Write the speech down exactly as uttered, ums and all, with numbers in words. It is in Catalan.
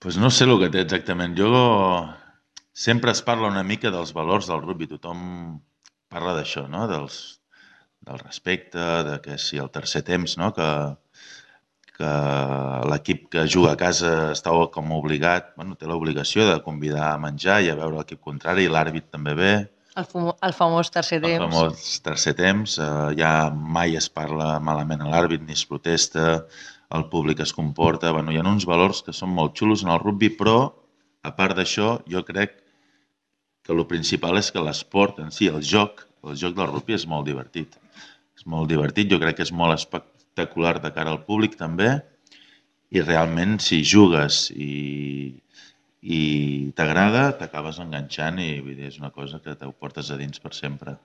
Doncs no sé el que té exactament. Jo sempre es parla una mica dels valors del rugby. Tothom parla d'això, no? Dels, del respecte, de que si el tercer temps, no? que, que l'equip que juga a casa està com obligat, bueno, té l'obligació de convidar a menjar i a veure l'equip contrari, i l'àrbit també ve. El, famo el famós tercer El temps. famós tercer temps, eh, ja mai es parla malament a l'àrbit, ni es protesta, el públic es comporta. Bueno, hi ha uns valors que són molt xulos en el rugby, però, a part d'això, jo crec que el principal és que l'esport en si, el joc, el joc del rugby és molt divertit. És molt divertit, jo crec que és molt espectacular de cara al públic també, i realment si jugues i, i t'agrada, t'acabes enganxant i vull dir, és una cosa que t'ho portes a dins per sempre.